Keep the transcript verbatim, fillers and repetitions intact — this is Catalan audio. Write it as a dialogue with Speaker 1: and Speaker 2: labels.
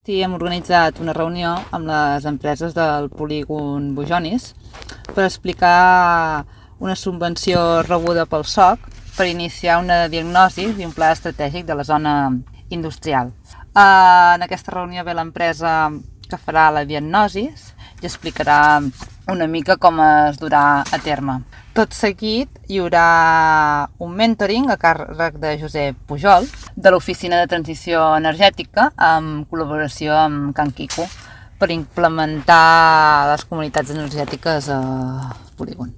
Speaker 1: i hem organitzat una reunió amb les empreses del polígon Bujonis per explicar una subvenció rebuda pel S O C per iniciar una diagnosi i un pla estratègic de la zona industrial. En aquesta reunió ve l'empresa que farà la diagnosi i explicarà una mica com es durà a terme. Tot seguit hi haurà un mentoring a càrrec de Josep Pujol de l'Oficina de Transició Energètica en col·laboració amb Can Quico per implementar les comunitats energètiques al polígon.